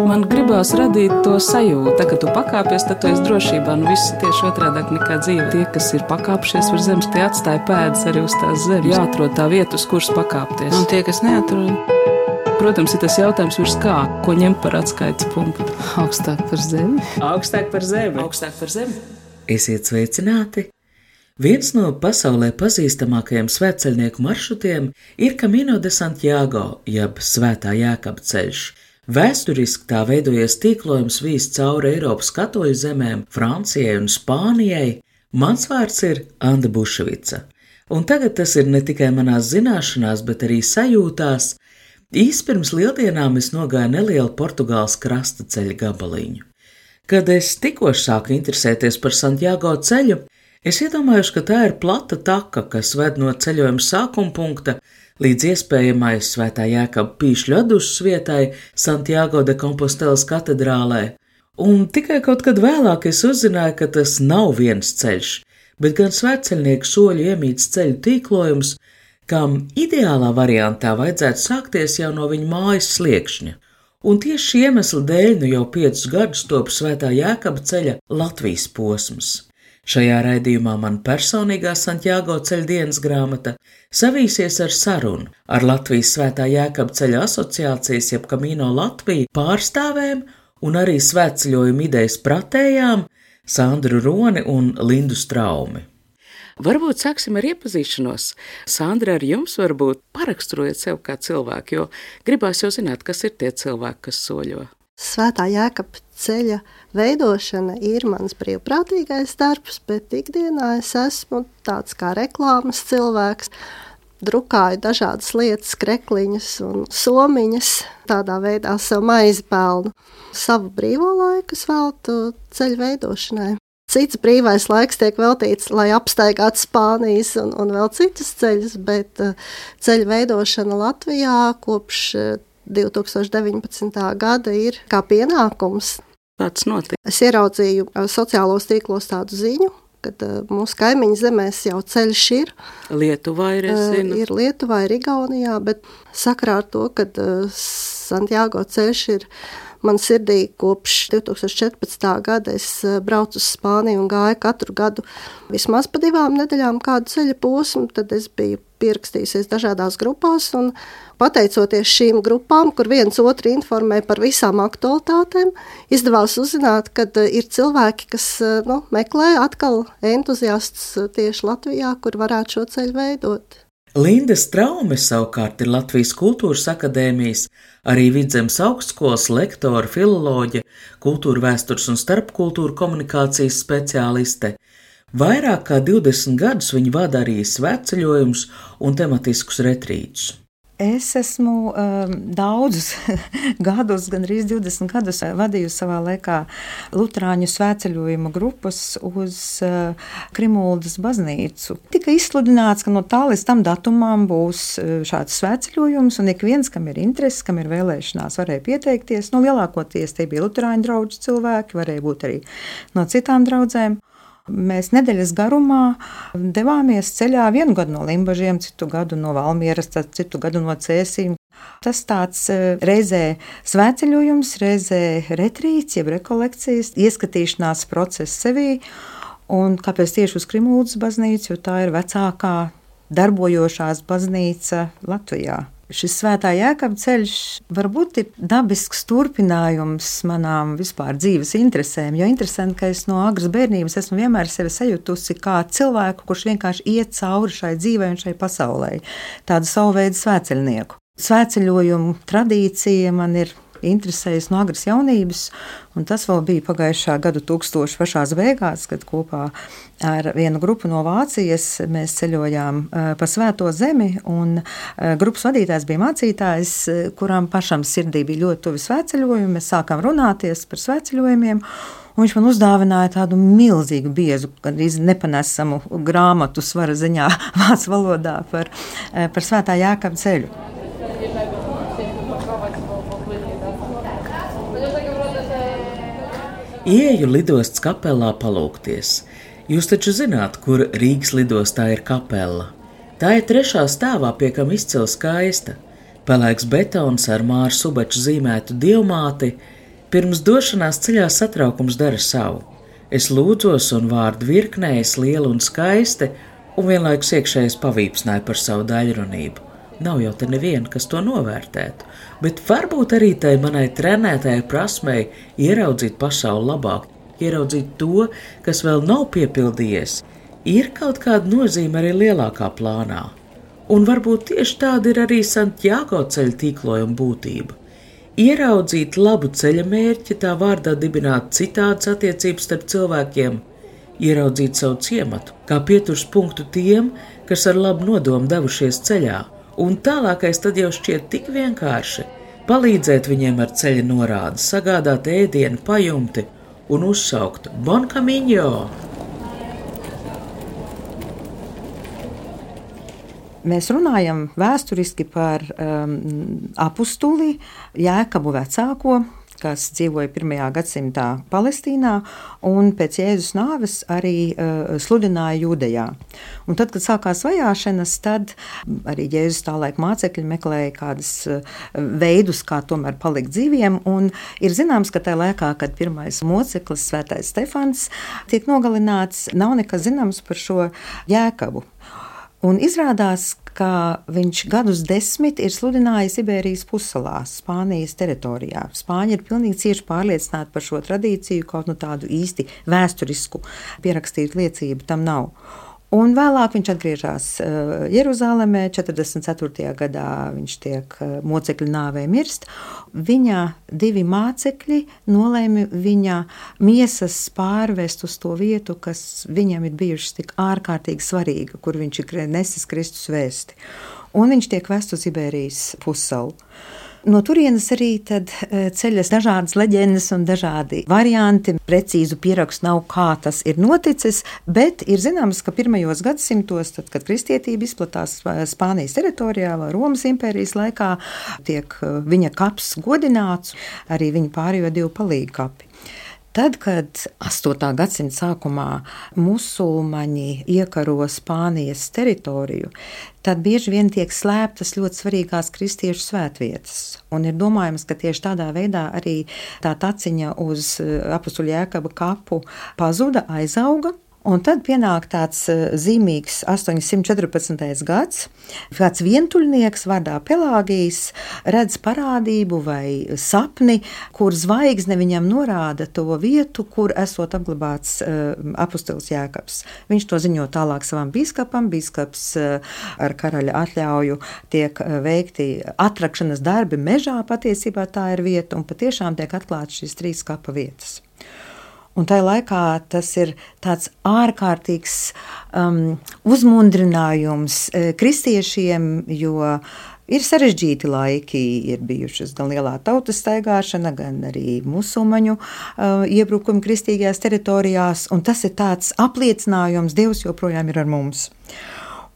Man gribās radīt to sajūtu, ka tu pakāpies, tad tu esi drošībā. Viss tieši otrādāk nekā dzīve. Tie, kas ir pakāpšies uz zemes, tie atstāja pēdas arī uz tās zemes. Jāatrod tā vieta, uz kuras pakāpties. Un tie, kas neatrod? Protams, ir tas jautājums virs kā, ko ņemt par atskaites punktu. Augstāk par zemi. Augstāk par zemi. Augstāk par zemi. Esiet sveicināti! Viens no pasaulē pazīstamākajiem svētceļnieku maršrutiem ir Camino de Santiago, jeb Svētā Jēkaba ceļš. Vēsturiski tā veidojies tīklojums vīs cauri Eiropas katoļu zemēm, Francijai un Spānijai. Mans vārds ir Anda Buševica, un tagad tas ir ne tikai manās zināšanās, bet arī sajūtās. Īsi pirms lieldienām es nogāju nelielu Portugāles krasta ceļa gabaliņu. Kad es tikko sāku interesēties par Santiago ceļu, es iedomājos, ka tā ir plata taka, kas ved no ceļojuma sākuma punkta līdz iespējamai Svētā Jēkaba pīšļu atdušas vietai Santiago de Compostelas katedrālē. Un tikai kaut kad vēlāk es uzzināju, ka tas nav viens ceļš, bet gan svētceļnieku soļu iemīts ceļu tīklojums, kam ideālā variantā vajadzētu sākties jau no viņa mājas sliekšņa. Un tieši šī iemesla dēļ nu jau 5 gadus top Svētā Jēkaba ceļa Latvijas posms. Šajā raidījumā man personīgā Santiago ceļa dienas grāmata savīsies ar sarunu ar Latvijas Svētā Jēkaba ceļa asociācijas jeb Camino Latviju pārstāvēm un arī svētceļojuma idejas pratējām Sandru Roni un Lindu Straumi. Varbūt sāksim ar iepazīšanos. Sandra, ar jums varbūt paraksturojiet sev kā cilvēku, jo gribās jau zināt, kas ir tie cilvēki, kas soļo. Svētā Jēkaba ceļa veidošana ir mans brīvprātīgais darbs, bet ikdienā es esmu tāds kā reklāmas cilvēks. Drukāju dažādas lietas, krekliņas un somiņas, tādā veidā sev maizi pelnu. Savu brīvo laiku es veltu ceļu veidošanai. Cits brīvais laiks tiek veltīts, lai apstaigātu Spānijas un vēl citus ceļus, bet ceļu veidošana Latvijā kopš 2019. gada ir kā pienākums. Tāds notiek. Es ieraudzīju sociālos tīklos tādu ziņu, kad mūsu kaimiņu zemēs jau ceļš ir. Lietuvā ir, es zinu. Ir Lietuvā, ir Igaunijā, bet sakarā ar to, kad Santiago ceļš ir man sirdī kopš 2014. gada, es braucu uz Spāniju un gāju katru gadu vismaz pa 2 nedēļām kādu ceļa posmu, tad es biju pierakstījusies dažādās grupās un pateicoties šīm grupām, kur viens otru informē par visām aktualitātēm, izdevās uzzināt, ka ir cilvēki, kas meklē atkal entuziastus tieši Latvijā, kur varētu šo ceļu veidot. Linda Straume savukārt ir Latvijas Kultūras akadēmijas, arī Vidzemes augstskolas lektore, filoloģe, kultūra vēstures un starpkultūra komunikācijas speciāliste. Vairāk kā 20 gadus viņa vada arī svētceļojumus un tematiskus retrītus. Es esmu daudzus gadus, gandrīz 20 gadus, vadījusi savā laikā luterāņu svētceļojuma grupas uz Krimuldas baznīcu. Tika izsludināts, ka no tā līdz tam datumam būs šāds svētceļojums, un ik viens, kam ir interesi, kam ir vēlēšanās, varēja pieteikties. Lielākoties tie bija luterāņu draugu cilvēki, varēja būt arī no citām draudzēm. Mēs nedēļas garumā devāmies ceļā vienu gadu no Limbažiem, citu gadu no Valmieras, citu gadu no Cēsīm. Tas tāds reizē svētceļojums, reizē retrīts, jeb rekolekcijas, ieskatīšanās process sevī. Un kāpēc tieši uz Krimuldas baznīcu, jo tā ir vecākā darbojošās baznīca Latvijā. Šis Svētā Jēkaba ceļš varbūt ir dabisks turpinājums manām vispār dzīves interesēm, jo interesanti, ka es no agras bērnības esmu vienmēr sevi sajutusi kā cilvēku, kurš vienkārši iet cauri šai dzīvei un šai pasaulē, tādu savu veidu svētceļnieku. Svētceļojumu tradīcija man ir interesējas no agras jaunības, un tas vēl bija pagājušā gadu 1000 pašās beigās, kad kopā ar vienu grupu no Vācijas mēs ceļojām pa Svēto zemi, un grupas vadītājs bija mācītājs, kuram pašam sirdī bija ļoti tuvi svētceļojumi. Mēs sākām runāties par svētceļojumiem, un viņš man uzdāvināja tādu milzīgu biezu, gandrīz nepanesamu grāmatu svara ziņā vācu valodā par Svētā Jēkaba ceļu. Ieeju lidostas kapelā palūgties. Jūs taču zināt, kur Rīgas lidostā ir kapela. Tā ir 3. stāvā, pie kam izcila skaista. Pelēks betons ar Māra Subača zīmētu dievmāti, Pirms došanās ceļā satraukums dara savu. Es lūdzos un vārdu virknējas liela un skaiste, un vienlaikus iekšējais pavīpsnāja par savu daļrunību. Nav jau te neviena, kas to novērtētu, bet varbūt arī tai manai trenētajai prasmei ieraudzīt pasauli labāk, ieraudzīt to, kas vēl nav piepildījies, ir kaut kāda nozīme arī lielākā plānā. Un varbūt tieši tāda ir arī Santiago ceļa tīklojuma būtība. Ieraudzīt labu ceļa mērķi, tā vārdā dibināt citādas attiecības starp cilvēkiem, ieraudzīt savu ciematu, kā pieturs punktu tiem, kas ar labu nodomu devušies ceļā, un tālākais tad jau šķiet tik vienkārši – palīdzēt viņiem ar ceļa norādi, sagādāt ēdienu, pajumti un uzsaukt Bon Camino! Mēs runājam vēsturiski par apustuli Jēkabu vecāko, kas dzīvoja 1. gadsimtā Palestīnā un pēc Jēzus nāves arī sludināja Jūdejā. Un tad, kad sākās vajāšanas, tad arī Jēzus tālaik mācekļi meklēja kādas veidus, kā tomēr palikt dzīviem, un ir zināms, ka tajā laikā, kad pirmais moceklis, Svētais Stefans, tiek nogalināts, nav nekas zināms par šo Jēkabu. Un izrādās, ka viņš gadus 10 ir sludinājis Ibērijas pussalā, Spānijas teritorijā. Spāņi ir pilnīgi cieši pārliecināti par šo tradīciju, kaut tādu īsti vēsturisku pierakstītu liecību tam nav. Un vēlāk viņš atgriežas Jeruzālēmē, 44. gadā viņš tiek mocekļu nāvē mirst. Viņa 2 mācekļi nolēma viņa miesas pārvest uz to vietu, kas viņam ir bijušas tik ārkārtīgi svarīga, kur viņš ir nesis Kristus vēsti. Un viņš tiek vests uz Ibērijas pussalu. No turienes arī tad ceļas dažādas leģendas un dažādi varianti. Precīzu pierakstu nav, kā tas ir noticis, bet ir zināms, ka pirmajos gadsimtos, tad, kad kristietība izplatās Spānijas teritorijā vai Romas impērijas laikā, tiek viņa kaps godināts, arī viņa pārējo 2 palīgu kapi. Tad, kad 8. gadsimta sākumā musulmaņi iekaro Spānijas teritoriju, tad bieži vien tiek slēptas ļoti svarīgās kristiešu svētvietas. Un ir domājams, ka tieši tādā veidā arī tā taciņa uz apustuļa Jēkaba kapu pazuda, aizauga. Un tad pienāk tāds zīmīgs 814. gads, kāds vientuļnieks vārdā Pelāgijs redz parādību vai sapni, kur zvaigzne viņam norāda to vietu, kur esot apglabāts apustulis Jēkabs. Viņš to ziņo tālāk savam bīskapam, bīskaps ar karaļa atļauju tiek veikti atrakšanas darbi mežā, patiesībā tā ir vieta, un patiešām tiek atklāts šīs 3 kapa vietas. Un tajā laikā tas ir tāds ārkārtīgs uzmundrinājums kristiešiem, jo ir sarežģīti laiki, ir bijušas gan lielā tautas staigāšana, gan arī musulmaņu iebrukumi kristīgajās teritorijās, un tas ir tāds apliecinājums, Dievs joprojām ir ar mums.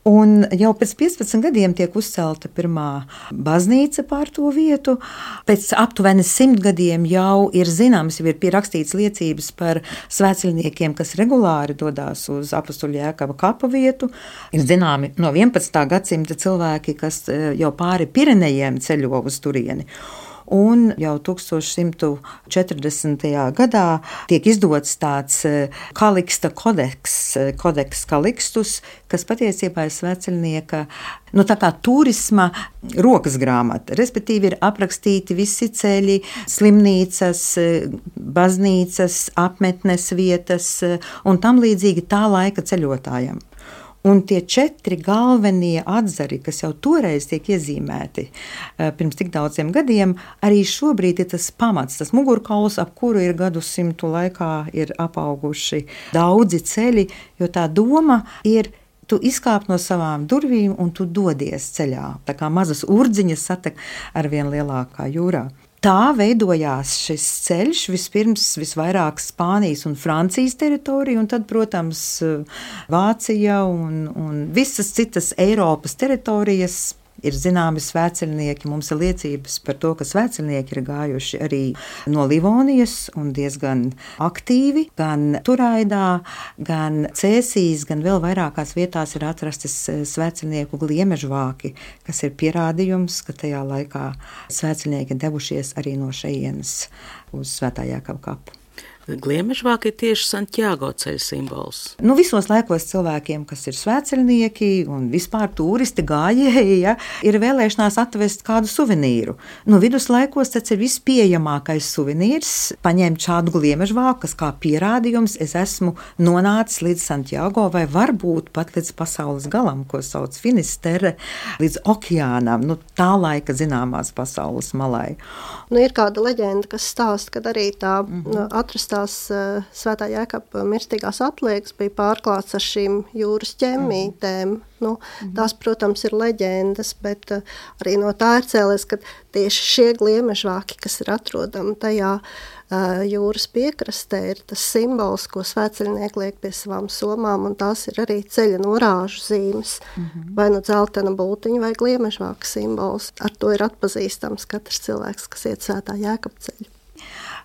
Un jau pēc 15 gadiem tiek uzcelta pirmā baznīca pār to vietu. Pēc aptuveni 100 gadiem jau ir zināms, jau ir pierakstīts liecības par svētceļniekiem, kas regulāri dodās uz apustuļa Jēkaba kapa vietu. Ir zināmi no 11. gadsimta cilvēki, kas jau pāri Pirenejiem ceļo uz turieni. Un jau 1140. gadā tiek izdots tāds Kaliksta kodeks Kalikstus, kas patiesībā ir svētceļnieka, tā kā turisma rokas grāmata. Respektīvi ir aprakstīti visi ceļi, slimnīcas, baznīcas, apmetnes vietas un tam līdzīgi tā laika ceļotājiem. Un tie 4 galvenie atzari, kas jau toreiz tiek iezīmēti pirms tik daudziem gadiem, arī šobrīd ir tas pamats, tas mugurkauls, ap kuru ir gadsimtu laikā ir apauguši daudzi ceļi, jo tā doma ir tu izkāp no savām durvīm un tu dodies ceļā, tā kā mazas urdziņas satek ar vien lielākā jūrā. Tā veidojās šis ceļš vispirms visvairāk Spānijas un Francijas teritorija, un tad, protams, Vācija un visas citas Eiropas teritorijas Ir zināmi svētceļnieki, mums ir liecības par to, ka svētceļnieki ir gājuši arī no Livonijas un diezgan aktīvi, gan Turaidā, gan Cēsīs, gan vēl vairākās vietās ir atrastas svētceļnieku gliemežvāki, kas ir pierādījums, ka tajā laikā svētceļnieki devušies arī no šejienes uz Svētā Jēkaba kapu. Gliemežvāki ir tieši Santiago ceļa simbols. Visos laikos cilvēkiem, kas ir svētceļnieki un vispār turisti gājēji, ir vēlēšanās atvest kādu suvenīru. Viduslaikos tas ir vispieejamākais suvenīrs, paņemt šādu gliemežvāku, kas kā pierādījums es esmu nonācis līdz Santiago vai varbūt pat līdz pasaules galam, ko sauc Finisterre, līdz okeānam, tā laika zināmās pasaules malai. Ir kāda leģenda, kas stāsta, kad arī tā atrastās Svētā Jēkaba mirstīgās atliekas bija pārklāts ar šīm jūras ķemmītēm. Tās, protams, ir leģendas, bet arī no tā ir cēlies, ka tieši šie gliemežvāki, kas ir atrodami tajā jūras piekrastē, ir tas simbols, ko svētceļnieki liek pie savām somām, un tās ir arī ceļa norāžu zīmes, vai dzeltena bultiņa vai gliemežvāka simbols. Ar to ir atpazīstams katrs cilvēks, kas iet Svētā Jēkaba ceļu.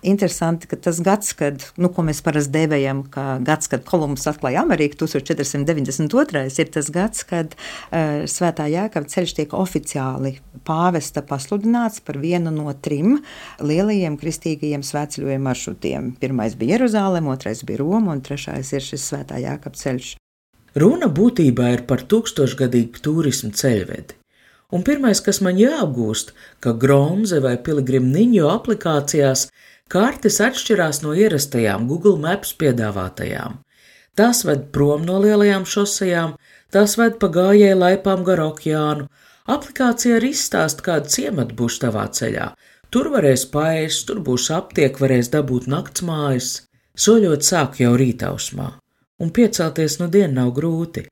Interesanti, ka tas gads, ko mēs parasti dēvējam, kad Kolumbs atklāja Ameriku, 1492. ir tas gads, kad Svētā Jēkaba ceļš tiek oficiāli pāvesta pasludināts par vienu no 3 lielajiem kristīgajiem svētceļojuma maršrutiem. Pirmais bija Jeruzaleme, otrais bija Roma un 3. ir šis Svētā Jēkaba ceļš. Runa būtībā ir par 1000-gadīgu turismu ceļvedi. Un pirmais, kas man jāapgūst, ka Gronze vai Piligrimniņo aplikācijās kartes atšķirās no ierastajām Google Maps piedāvātajām. Tās ved prom no lielajām šosejām, tās ved pa gājēju laipām gar okeānu. Aplikācija arī izstāsta, kāda ciemata būs tavā ceļā. Tur varēs paēst, tur būs aptiek, varēs dabūt naktsmājas. Soļot sāk jau rītausmā, un piecelties no diena nav grūti.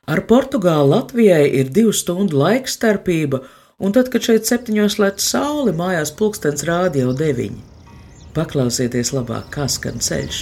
Ar Portugāli Latvijai ir 2 stundu laikstarpība, un tad, kad šeit 7 lec saule, mājās pulkstens rāda jau 9. Paklausieties labāk, kā skan ceļš.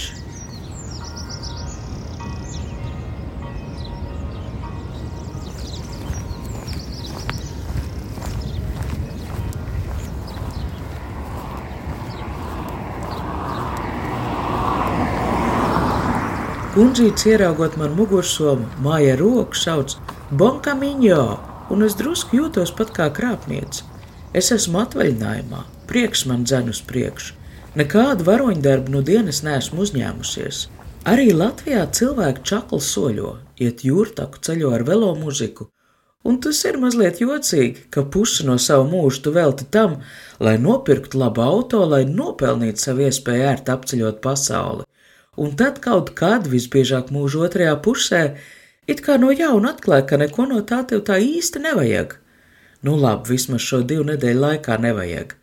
Kundzītis, ieraugot man mugursomu, māja roku sauc Bon Camino, un es drusku jūtos pat kā krāpniece. Es esmu atvaļinājumā, prieks man dzen uz priekšu. Nekādu varoņdarbu no dienas neesmu uzņēmusies. Arī Latvijā cilvēki čakli soļo, iet jūrtaku, ceļo ar velo muziku, un tas ir mazliet jocīgi, ka pusi no savu mūžu tu velti tam, lai nopirktu labu auto, lai nopelnītu savu iespēju ērti apceļot pasauli. Un tad kaut kad, visbiežāk mūža otrajā pusē, it kā no jauna atklāja, ka neko no tā tev tā īsti nevajag. Labi, vismaz šo 2 nedēļu laikā nevajag.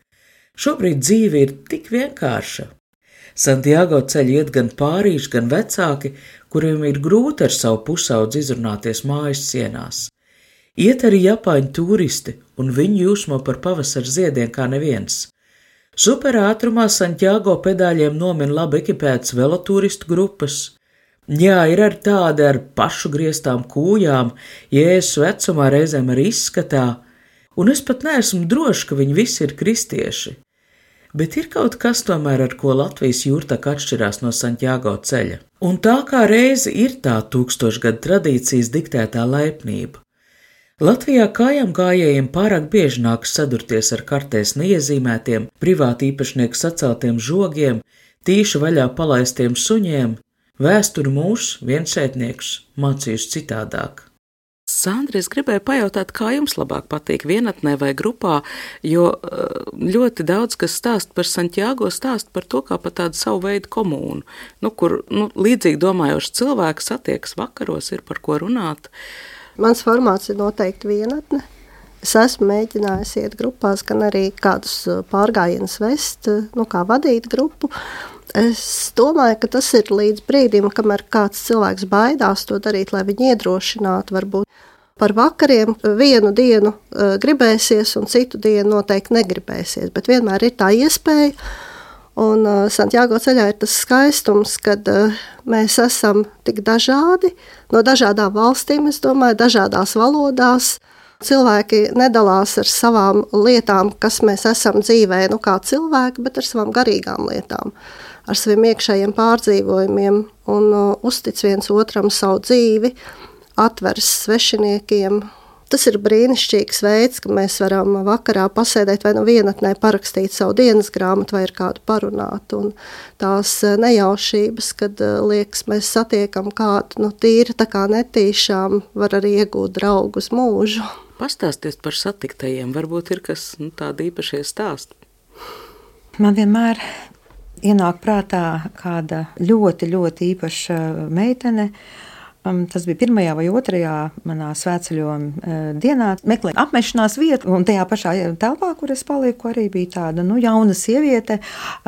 Šobrīd dzīve ir tik vienkārša. Santiago ceļu iet gan pārīši, gan vecāki, kuriem ir grūti ar savu pusaudzi izrunāties mājas sienās. Iet arī japāņu turisti, un viņi jūsmo par pavasara ziediem kā neviens. Superātrumā Santiago pedāļiem nomin labi ekipētas veloturistu grupas. Jā, ir arī tādi ar pašu grieztām kūjām, Jēzus vecumā, reizēm arī izskatā, un es pat neesmu droši, ka viņi visi ir kristieši. Bet ir kaut kas tomēr, ar ko Latvijas jūrtaka atšķirās no Santiago ceļa. Un tā kā reizi ir tā 1000 gadu tradīcijas diktētā laipnība. Latvijā kājām gājējiem pārāk bieži nākas sadurties ar kartēs neiezīmētiem, privāti īpašnieku saceltiem žogiem, tīši vaļā palaistiem suņiem. Vēsturi mūs, viensētnieks, mācījuši citādāk. Sandra, es gribēju pajautāt, kā jums labāk patīk vienatnē vai grupā, jo ļoti daudz, kas stāst par Santiago, stāst par to kā par tādu savu veidu komūnu, kur līdzīgi domājoši cilvēki satiekas vakaros, ir par ko runāt. Mans formāts ir noteikti vienatne. Es esmu mēģinājis iet grupās, gan arī kādus pārgājienus vest, kā vadīt grupu. Es domāju, ka tas ir līdz brīdim, kamēr kāds cilvēks baidās to darīt, lai viņu iedrošinātu varbūt. Par vakariem vienu dienu gribēsies un citu dienu noteikti negribēsies, bet vienmēr ir tā iespēja. Un Santiago ceļā ir tas skaistums, kad mēs esam tik dažādi, no dažādām valstīm, es domāju, dažādās valodās, Cilvēki nedalās ar savām lietām, kas mēs esam dzīvē, kā cilvēki, bet ar savām garīgām lietām, ar saviem iekšējiem pārdzīvojumiem un uztic viens otram savu dzīvi, atveras svešiniekiem. Tas ir brīnišķīgs veids, ka mēs varam vakarā pasēdēt vai vienatnē parakstīt savu dienas grāmatu vai ar kādu parunāt. Un tās nejaušības, kad liekas, mēs satiekam kādu tīri tā kā netīšām, var arī iegūt draugu uz mūžu. Pastāstiet par satiktajiem, varbūt ir kas tādi īpašie stāsti. Man vienmēr ienāk prātā kāda ļoti, ļoti īpaša meitene. Tas bija 1. vai 2. manā svētceļojuma dienā. Meklēju apmešanās vietu, un tajā pašā telpā, kur es paliku, arī bija tāda jauna sieviete.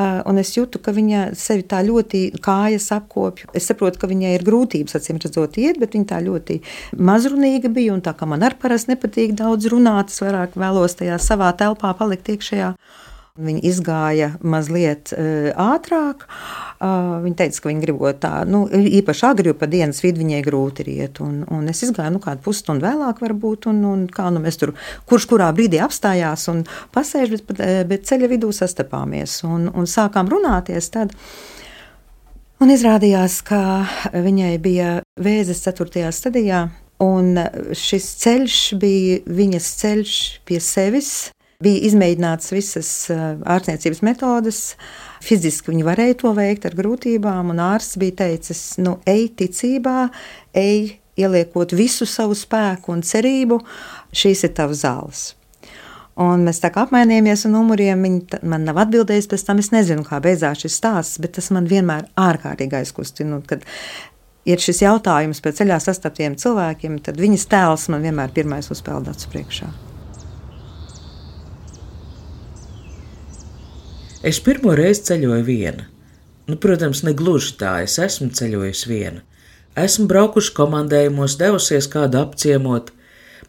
Un es jūtu, ka viņa sevi tā ļoti kājas apkopja. Es saprotu, ka viņai ir grūtības, acīm redzot, iet, bet viņa tā ļoti mazrunīga bija. Un tā kā man ar parasti nepatīk daudz runāt, es vairāk vēlos tajā savā telpā palikt iekšējā. Viņa izgāja mazliet ātrāk. Viņa teica, ka viņa gribot tā, īpaši agri, jo pa dienas vidu viņai grūti ir iet. Un es izgāju, kādu pusstundu vēlāk varbūt, un kā mēs tur, kurš kurā brīdī apstājās un pasēž, bet ceļa vidū sastapāmies un sākām runāties tad. Un izrādījās, ka viņai bija vēzis 4. stadijā, un šis ceļš bija viņas ceļš pie sevis. Bija izmēģināts visas ārstniecības metodes, fiziski viņi varēja to veikt ar grūtībām, un ārsts bija teicis, ej ticībā, ej ieliekot visu savu spēku un cerību, šīs ir tavas zāles. Un mēs tā kā apmainījāmies ar numuriem, viņi man nav atbildējis, pēc tam es nezinu, kā beidzās šis stāsts, bet tas man vienmēr ārkārtīgi aizkustina, kad ir šis jautājums par ceļā sastaptiem cilvēkiem, tad viņas tēls man vienmēr pirmais uzpeld acu priekšā. Es pirmo reizi ceļoju viena. Protams, ne gluži tā, es esmu ceļojusi viena. Esmu braukuši komandējumos, devusies kādu apciemot,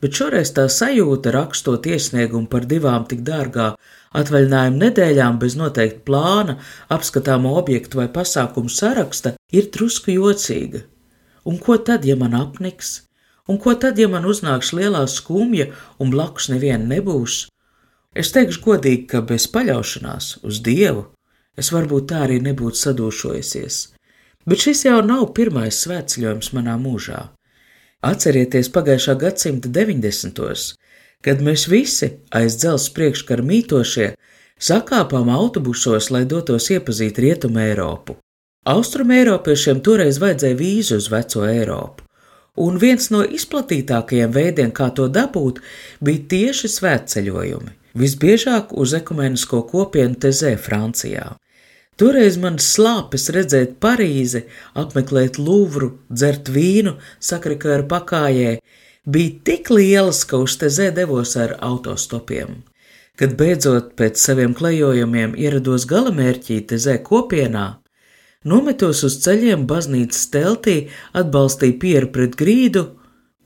bet šoreiz tā sajūta, rakstot iesniegumu par 2 tik dārgā atvaļinājuma nedēļām bez noteikta plāna, apskatāmo objektu vai pasākumu saraksta, ir drusku jocīga. Un ko tad, ja man apniks? Un ko tad, ja man uznāks lielā skumja un blakus neviena nebūs? Es teikšu godīgi, ka bez paļaušanās uz Dievu es varbūt tā arī nebūtu sadūšojusies. Bet šis jau nav pirmais svētceļojums manā mūžā. Atcerieties pagājušā gadsimta 90. kad mēs visi aiz dzelzs priekškara mītošie sakāpām autobusos, lai dotos iepazīt Rietumu Eiropu. Austrumu Eiropiešiem toreiz vajadzēja vīzu uz veco Eiropu. Un viens no izplatītākajiem veidiem, kā to dabūt, bija tieši svētceļojumi. Visbiežāk uz ekumenisko kopienu Tezē, Francijā. Toreiz man slāpes redzēt Parīzi, apmeklēt Luvru, dzert vīnu, sakrikāru pakājē, bija tik lielas, ka uz Tezē devos ar autostopiem. Kad beidzot pēc saviem klejojumiem ierados galamērķī Tezē kopienā, nometos uz ceļiem baznīcas teltī, atbalstīju pieru pret grīdu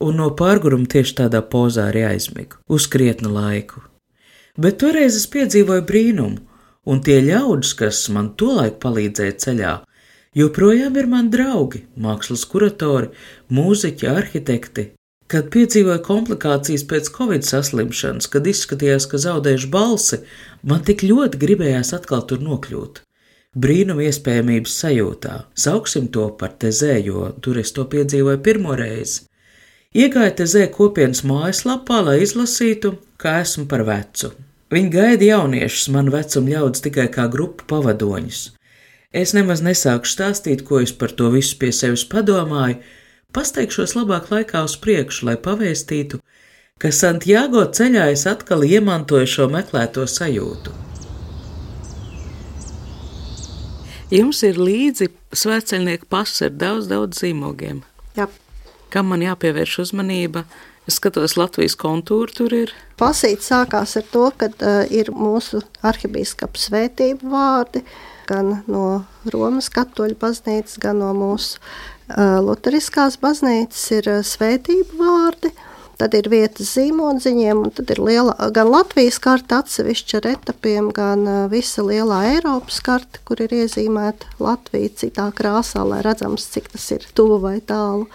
un no pārguruma tieši tādā pozā arī aizmigu, uz krietnu laiku. Bet toreiz es piedzīvoju brīnumu, un tie ļaudis, kas man tolaik palīdzēja ceļā, joprojām ir mani draugi, mākslas kuratori, mūziķi, arhitekti. Kad piedzīvoju komplikācijas pēc Covid saslimšanas, kad izskatījās, ka zaudēšu balsi, man tik ļoti gribējās atkal tur nokļūt. Brīnuma iespējamības sajūtā, sauksim to par Tezē, jo tur es to piedzīvoju pirmo reizi. Iegāju Tezē kopienas mājaslapā, lai izlasītu, kā esmu par vecu. Viņi gaida jauniešus, man vecuma ļaudis tikai kā grupu pavadoņus. Es nemaz nesāku stāstīt, ko es par to visu pie sevis padomāju, pasteikšos labāk laikā uz priekšu, lai pavēstītu, ka Santiago ceļā es atkal iemantoju šo meklēto sajūtu. Jums ir līdzi svētceļnieku pasa ar daudz zīmogiem. Jā. Kam man jāpievērš uzmanība? Es skatos, Latvijas kontūra tur ir. Pasīt sākās ar to, ka ir mūsu arhibīskapa svētību vārdi, gan no Romas katoļu baznīcas, gan no mūsu luteriskās baznīcas ir svētību vārdi. Tad ir vietas zīmodziņiem, un tad ir gan Latvijas karta atsevišķa ar etapiem, gan visa lielā Eiropas karta, kur ir iezīmēta Latvija citā krāsā, lai redzams, cik tas ir tuvu vai tālu.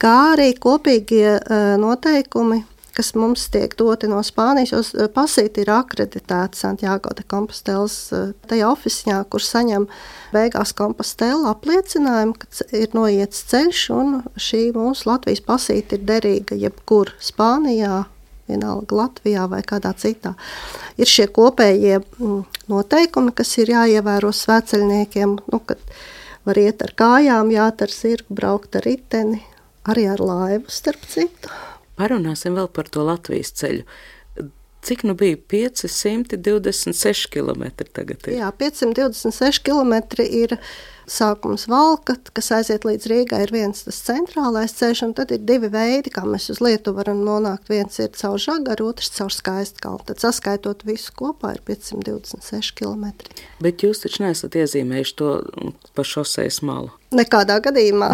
Kā arī kopīgie noteikumi kas mums tiek doti no Spānijas, jo pasīti ir akreditēta Santiago de Compostelas tajā oficiņā, kur saņem beigās Compostela apliecinājumu, ka ir noiets ceļš, un šī mūsu Latvijas pasīte ir derīga jebkur Spānijā, vienalga Latvijā vai kādā citā. Ir šie kopējie noteikumi, kas ir jāievēro svētceļniekiem, kad var iet ar kājām, jāt ar zirgu, braukt ar riteni, arī ar laivu, starp citu. Parunāsim vēl par to Latvijas ceļu. Cik bija 526 kilometri tagad ir? Jā, 526 kilometri ir sākums Valka, kas aiziet līdz Rīgai, ir viens tas centrālais ceļš, un tad ir divi veidi, kā mēs uz Lietuvu varam nonākt. Viens ir caur Žagaru, otrs caur Skaistkalnu. Tad saskaitot visu kopā ir 526 kilometri. Bet jūs taču neesat iezīmējuši to pa šosejas malu? Nekādā gadījumā.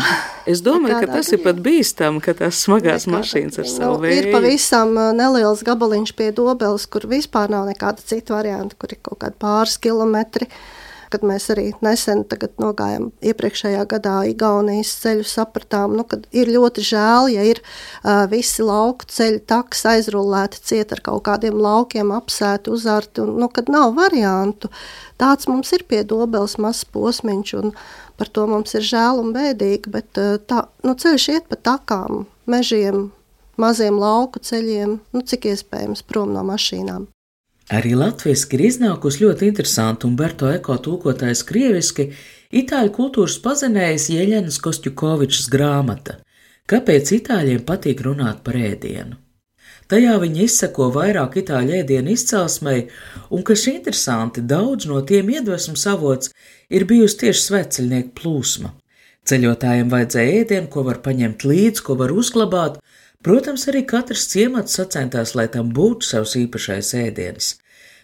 Es domāju, ka tas ir pat bīstami, ka tās smagās mašīnas ar savu vēju. Ir pavisam neliels gabaliņš pie Dobeles, kur vispār nav nekāda cita varianta, kur ir kaut kādi pāris kilometri. Kad mēs arī nesen nogājām iepriekšējā gadā Igaunijas ceļu, sapratām, kad ir ļoti žēl, ja ir visi lauku ceļu taks aizrullēti ciet ar kaut kādiem laukiem, apsēti, uzarti, un kad nav variantu. Tāds mums ir pie Dobeles mazs posmiņš, un par to mums ir žēl un bēdīgi, bet ceļš iet pa takām, mežiem, maziem lauku ceļiem, cik iespējams prom no mašīnām. Arī latviski ir iznākusi ļoti interesanti Umberto Eko tulkotājs krieviski itāļu kultūras pazinējs Jeļenas Kostjukovičas grāmata Kāpēc itāļiem patīk runāt par ēdienu. Tajā viņi izseko vairāk itāļu ēdienu izcelsmei, un, kas interesanti, daudz no tiem iedvesmas avots ir bijusi tieši svētceļnieku plūsma. Ceļotājiem vajadzēja ēdienu, ko var paņemt līdzi, ko var uzglabāt. Protams, arī katrs ciemats sacentās, lai tam būtu savs īpašais ēdienis.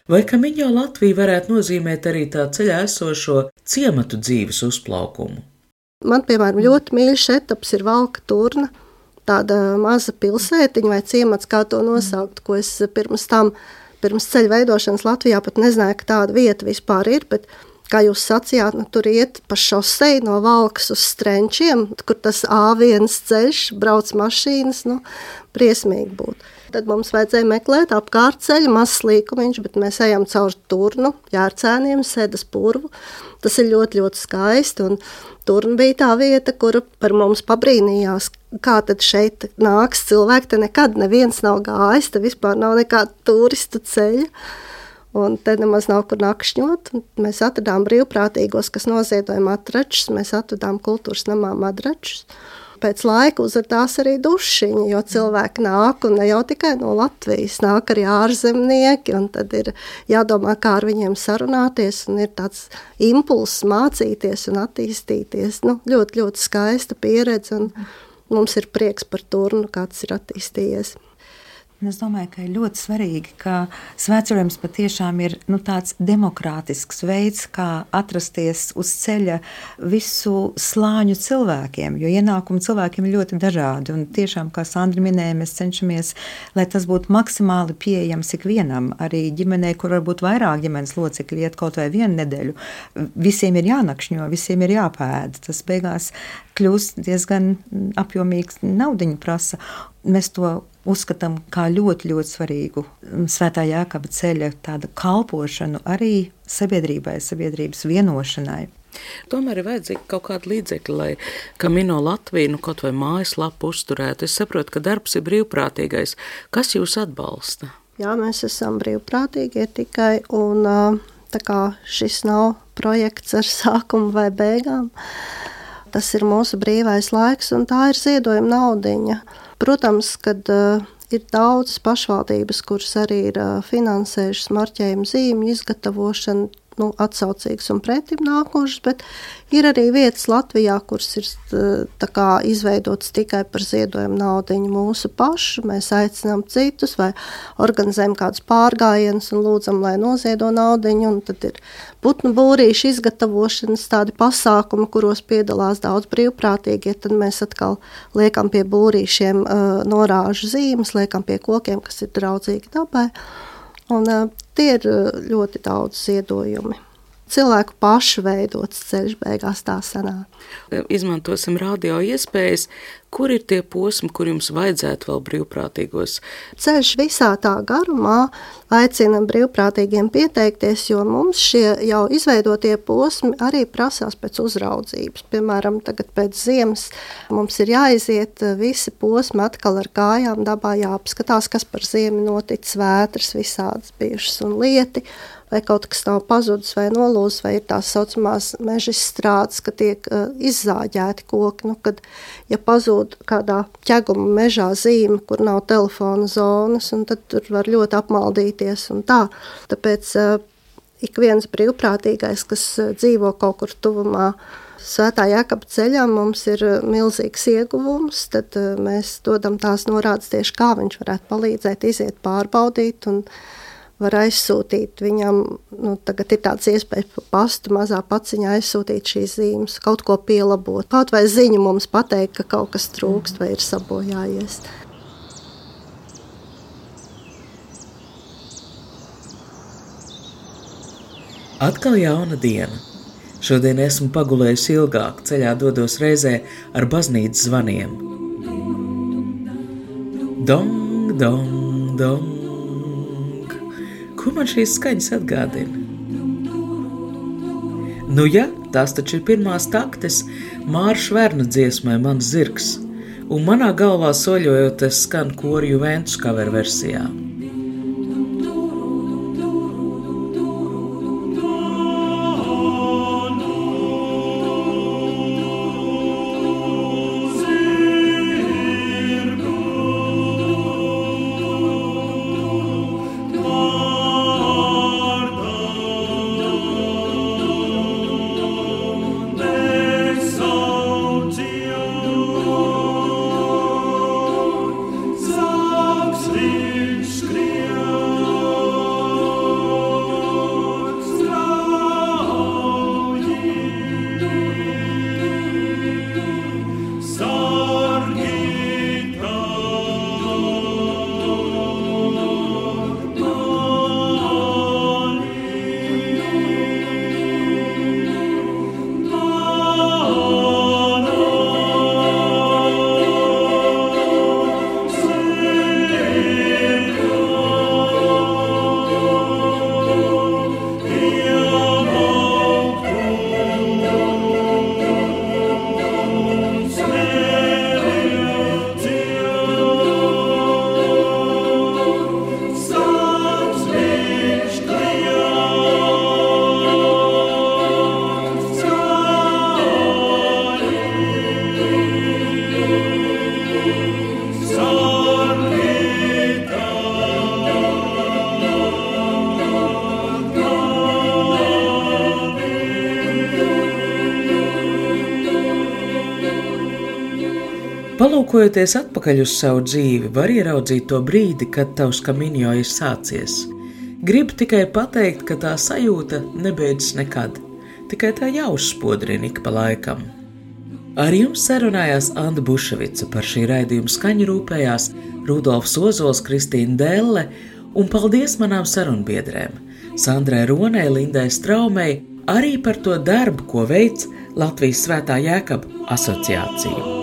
Vai Camino Latvija varētu nozīmēt arī tā ceļā esošo ciematu dzīves uzplaukumu? Man, piemēram, ļoti mīļš etaps ir Valka Turna, tāda maza pilsētiņa vai ciemats, kā to nosaukt, ko es pirms ceļa veidošanas Latvijā pat nezināju, ka tāda vieta vispār ir, bet kā jūs sacījāt, tur iet pa šoseju no Valkas uz Strenčiem, kur tas A1 ceļš, brauc mašīnas, briesmīgi būtu. Tad mums vajadzēja meklēt apkārt ceļu, mazs līkumiņš, bet mēs ejam caur Turnu, Jārcēniem, Sedas purvu. Tas ir ļoti, ļoti skaisti, un Turna bija tā vieta, kur par mums pabrīnījās, kā tad šeit nāks cilvēki, te nekad neviens nav gājis, te vispār nav nekāda turistu ceļa. Un te nemaz nav kur nakšņot. Mēs atradām brīvprātīgos, kas noziedoja matračus, mēs atradām kultūras namā matračus. Pēc laika uzradās arī dušiņi, jo cilvēki nāk, un ne jau tikai no Latvijas, nāk arī ārzemnieki, un tad ir jādomā, kā ar viņiem sarunāties, un ir tāds impulss mācīties un attīstīties. Ļoti, ļoti skaista pieredze, un mums ir prieks par Turnu, kā tas ir attīstījies. Es domāju, ka ir ļoti svarīgi, ka svētceļojums patiešām ir tāds demokrātisks veids, kā atrasties uz ceļa visu slāņu cilvēkiem, jo ienākumi cilvēkiem ir ļoti dažādi. Un tiešām, kā Sandra minēja, mēs cenšamies, lai tas būtu maksimāli pieejams ikvienam, arī ģimenei, kur varbūt vairāk ģimenes locekļi iet kaut vai vienu nedēļu. Visiem ir jānakšņo, visiem ir jāpēd. Tas beigās kļūst diezgan apjomīgs, naudiņu prasa. Mēs to uzskatām kā ļoti, ļoti svarīgu Svētā Jēkaba ceļa tādu kalpošanu arī sabiedrībai, sabiedrības vienošanai. Tomēr ir vajadzīgi kaut kādi līdzekļi, lai Camino Latviju kaut vai mājaslapu uzturētu. Es saprotu, ka darbs ir brīvprātīgais. Kas jūs atbalsta? Jā, mēs esam brīvprātīgie tikai, un tā kā šis nav projekts ar sākumu vai beigām, tas ir mūsu brīvais laiks, un tā ir ziedojuma naudiņa. Protams, kad ir daudzas pašvaldības, kuras arī ir finansējušas marķējumu zīmju izgatavošanu, atsaucīgas un pretim nākošas, bet ir arī vietas Latvijā, kuras ir izveidotas tikai par ziedojumu naudiņu mūsu pašu. Mēs aicinām citus vai organizējam kādus pārgājienus un lūdzam, lai noziedo naudiņu, un tad ir putnu būrīšu izgatavošanas tādi pasākumi, kuros piedalās daudz brīvprātīgie, tad mēs atkal liekam pie būrīšiem norāžu zīmes, liekam pie kokiem, kas ir draudzīgi dabai. Un tie ir ļoti daudz ziedojumi. cilvēku pašu veidots ceļš beigās tā sanāk. Izmantosim radio iespējas, kur ir tie posmi, kur jums vajadzētu vēl brīvprātīgos? Ceļš visā tā garumā aicina brīvprātīgiem pieteikties, jo mums šie jau izveidotie posmi arī prasās pēc uzraudzības. Piemēram, tagad pēc ziemas mums ir jāiziet visi posmi atkal ar kājām dabā, jāapskatās, kas par ziemu noticis, vētras visādas bijušas un lieti, vai kaut kas nav pazudis vai nolūzis, vai ir tās saucamās meža izstrādes, ka tiek izzāģēti koki. Nu, kad, ja pazūd kādā ķeguma mežā zīme, kur nav telefona zonas, un tad tur var ļoti apmaldīties un tā. Tāpēc ik viens brīvprātīgais, kas dzīvo kaut kur tuvumā Svētā Jēkaba ceļam, mums ir milzīgs ieguvums, tad mēs dodam tās norādes tieši, kā viņš varētu palīdzēt, iziet pārbaudīt un var aizsūtīt viņam, tagad ir tāds iespējas pa pastu mazā paciņā aizsūtīt šīs zīmes, kaut ko pielabot, kaut vai ziņu mums pateikt, ka kaut kas trūkst vai ir sabojājies. Atkal jauna diena. Šodien esmu pagulējusi ilgāk, ceļā dodos reizē ar baznīcas zvaniem. Dong, dong, dong. Ko man šīs skaņas atgādina? Nu ja, tās taču ir pirmās taktes Māra Šverna dziesmai Mans zirgs, un manā galvā soļojot es skan koru Juventus cover versijā. Palūkojoties atpakaļ uz savu dzīvi, var ieraudzīt to brīdi, kad tavs Camino ir sācies. Gribu tikai pateikt, ka tā sajūta nebeidzas nekad, tikai tā jāuzspodrina ik pa laikam. Ar jums sarunājās Anda Buševica, par šī raidījuma skaņu rūpējās Rudolfs Ozols, Kristīna Delle, un paldies manām sarunbiedrēm Sandrai Ronei, Lindai Straumei, arī par to darbu, ko veic Latvijas Svētā Jēkaba asociācija.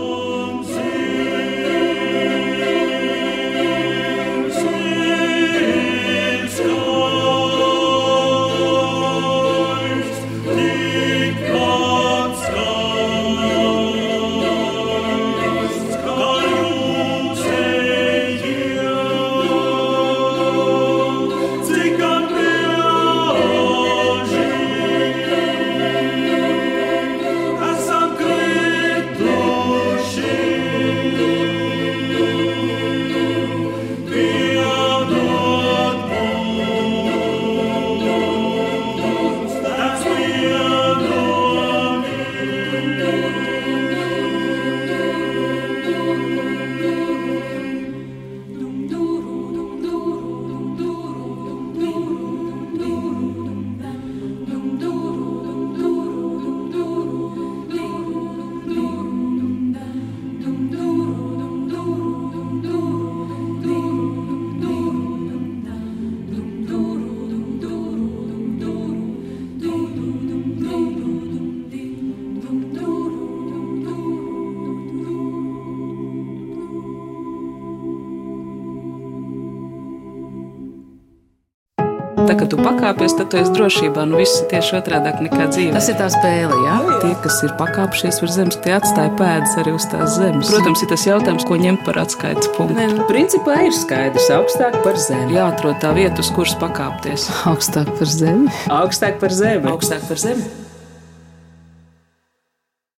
ka tu pakāpies, tad tu esi drošībā. Nu, viss ir tieši otrādāk nekā dzīvē. Tas ir tā spēle, jā? Tie, kas ir pakāpšies virs zemes, tie atstāja pēdas arī uz tās zemes. Protams, ir tas jautājums, ko ņemt par atskaites punktu. Principā ir skaidrs, augstāk par zemi. Jāatrod tā vieta, uz kuras pakāpties. Augstāk par zemi. Augstāk par zemi. Augstāk par zemi.